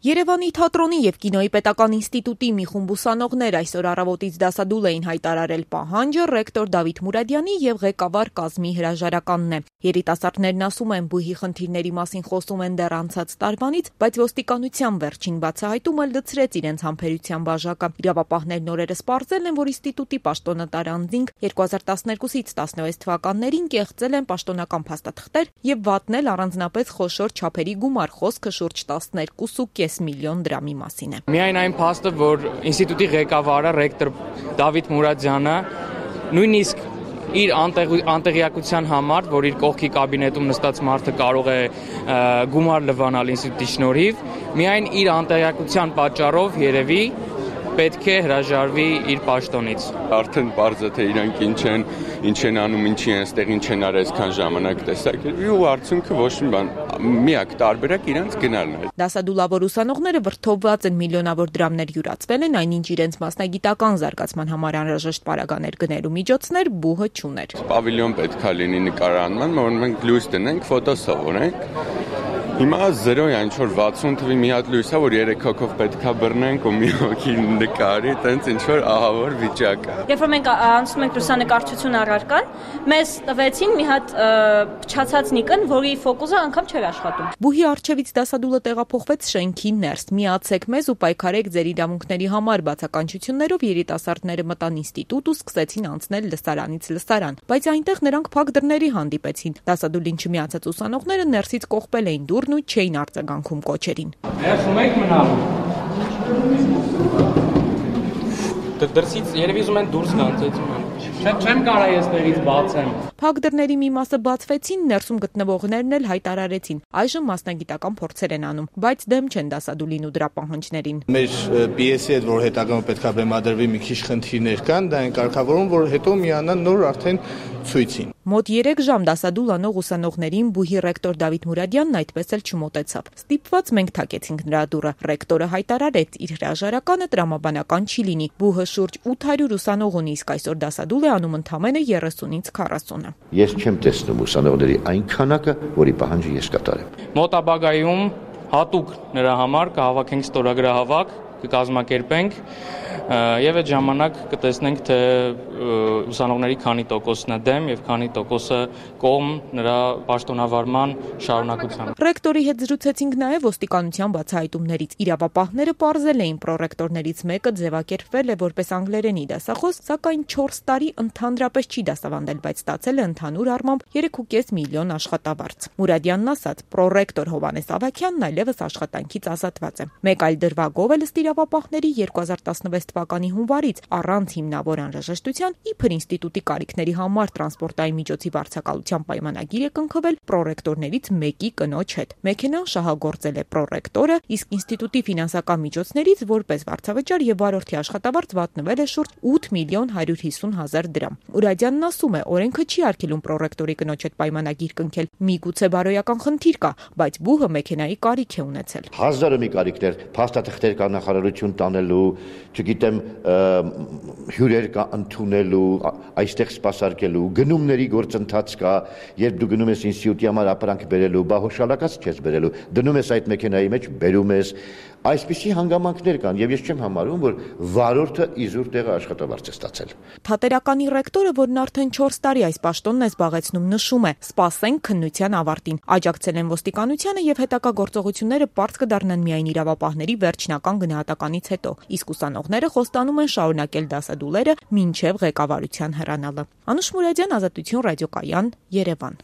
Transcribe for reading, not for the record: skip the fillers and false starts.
Երևանի թատրոնի և կինոյի պետական ինստիտուտի մի խումբ ուսանողներ այսօր առավոտից դասադուլ էին հայտարարել պահանջը ռեկտոր Դավիթ Մուրադյանի և ղեկավար կազմի հրաժարականն է։ Երիտասարդներն ասում են, բուհի խնդիրների մասին խոսում են դեռ անցած տարվանից, բայց ոստիկանության վերջին բացահայտումը լցրեց իրենց համբերության բաժակը։ Իրավապահներն օրերս պարզել են, որ ինստիտուտի պաշտոնատար անձինք 2012-ից 16 թվականներին կեղծել են պաշտոնական փաստաթղթեր և վատնել առանձնապես խոշոր չափերի գումար, խոսքը շուրջ 12.5 միլիոն դրամի մասին է։ Միայն այն փաստը, որ ինստիտուտի ղեկավարը ռեկտոր Դավիթ Մուրադյանը նույնիսկ իր անտեղյակության համար, որ իր կողքի կաբինետում նստած մարդը կարող է գումար լվանալ ինստիտուտի շնորհիվ, միայն իր անտեղյակության պատճառով երևի պետք է հրաժարվի իր պաշտոնից։ Արդեն պարզ է, թե իրանք ինչ են անում, ինչի են այստեղ, ինչ են արել այսքան ժամանակ տեսակետի ու արդյունքը ոչ մի բան, միակ տարբերակ իրանք գնալն է։ Դասադուլավոր ուսանողները վրդովված են, միլիոնավոր դրամներ յուրացվել են, այնինչ իրենց մասնագիտական զարգացման համար անհրաժեշտ պարագաներ գնելու միջոցներ բուհը չուներ։ Պավիլիոն պետք է լինի նկարանման, որ մենք լույս դնենք, ֆոտո սովորենք։ Հիմա 0 է, ինչ-որ 60 թվի մի հատ լույս է, որ 3 հոգով պետք է բռնենք ու մի հոգի նկարի, տենց ինչ-որ ահավոր վիճակ է։ Երբ որ մենք անցնում ենք լուսանկարչություն առարկան, մեզ տվեցին մի հատ փչացած նիկն, որի ֆոկուսը անգամ չէր աշխատում։ Բուհի առջևից դասադուլը տեղափոխվեց շենքի ներս։ Միացեք մեզ ու պայքարեք ձեր իրավունքների համար բացականչություններով երիտասարդները մտան ինստիտուտ ու սկսեցին անցնել լսարանից լսարան, բայց այնտեղ նրանք փակ դռների հանդիպեցին։ Դասադուլին չմիացած ուսանողները ներսից կողպել էին դուռն ու չէին արձագանքում կոչերին։ Ներսում եք մնալու։ Դրսից երևի ուզում են դուրս գան, չեմ կարա ես տեղից բացեմ։ Փակ դռների մի մասը բացվեցին, ներսում գտնվողներն էլ հայտարարեցին։ Այժմ մասնագիտական փորձեր են անում, բայց դեմ չեն դասադուլին ու դրա պահանջներին։ Մեր պիեսի հետ, որ հետագայում պետք է բեմադրվի, մի քիչ խնդիրներ կան, դա են կարգավորում, որ հետո միանան նոր արդեն ցույցին։ Մոտ 3 ժամ դասադուլ անող ուսանողներին բուհի ռեկտոր Դավիթ Մուրադյանն այդպես էլ չմոտեցավ։ Ստիպված մենք թակեցինք նրա դուռը։ Ռեկտորը հայտարարեց, իր հրաժարականը տրամաբանական չի լինի։ Բուհը շուրջ 800 ուսանող ունի, իսկ այսօր դասադուլ է անում ընդամենը 30-ից 40-ը։ Ես չեմ տեսնում ուսանողների այն քանակը, որի պահանջը ես կատարեմ։ Մոտաբագայում հատուկ նրա համար կհավաքենք ստորագրահավաք, կկազմակերպենք եւ այդ ժամանակ կտեսնենք, թե ուսանողների քանի տոկոսն է դեմ եւ քանի տոկոսը կողմ նրա պաշտոնավարման շարունակության։ Ռեկտորի հետ զրուցեցինք նաեւ ոստիկանության բացահայտումներից։ Իրավապահները պարզել էին, պրոռեկտորներից մեկը ձևակերպվել է որպես անգլերենի դասախոս, սակայն 4 տարի ընդհանրապես չի դասավանդել, բայց ստացել է ընդհանուր առմամբ 3.5 միլիոն աշխատավարձ։ Մուրադյանն ասաց, պրոռեկտոր Հովհաննես Ավագյանն այլևս աշխատանքից ազատված է։ Մեկ այլ դրվագով էլ ըստ իրավապահների 2016 թվականի հունվարից առանց հիմնավոր անհրաժեշտության իբր ինստիտուտի կարիքների համար տրանսպորտային միջոցի վարձակալության պայմանագիր է կնքվել պրոռեկտորներից մեկի կնոջ հետ։ Մեքենան շահագործել է պրոռեկտորը, իսկ ինստիտուտի ֆինանսական միջոցներից որպես վարձավճար եւ վարորդի աշխատավարձ վատնվել է շուրջ 8 միլիոն 150 հազար դրամ։ Մուրադյանն ասում է, օրենքը չի արգելում պրոռեկտորի կնոջ հետ պայմանագիր կնքել։ Միգուցե բարոյական խնդիր կա, բայց բուհը մեքենայի կարիք է ունեցել։ Հազարը մի կարիքներ, փաստաթղթեր կա նախարարություն տանելու, չգիտեմ, հյուրեր կա ընդունելու, այստեղ սպասարկելու, գնումների գործընթաց կա, երբ դու գնում ես ինստիտուտի համար ապրանք բերելու, բա հոշալակած չես բերելու, դնում ես այդ մեքենայի մեջ, բերում ես, այսպիսի հանգամանքներ կան, եւ ես չեմ համարում, որ վարորդը իզուր տեղը աշխատավարձ է ստացել։ Թատերականի ռեկտորը, որն արդեն 4 տարի այս պաշտոնն է զբաղեցնում, նշում է. «Սպասենք քննության ավարտին»։ Աջակցել են ոստիկանությանը եւ հետագա գործողությունները պարզ կդառնան միայն իրավապահների վերջնական գնահատականից հետո, իսկ ուսանողները խոստանում են շարունակել դասադուլերը մինչև ղեկավարության հեռանալը։ Անուշ Մուրադյան, Ազատություն ռադիոկայան, Երևան։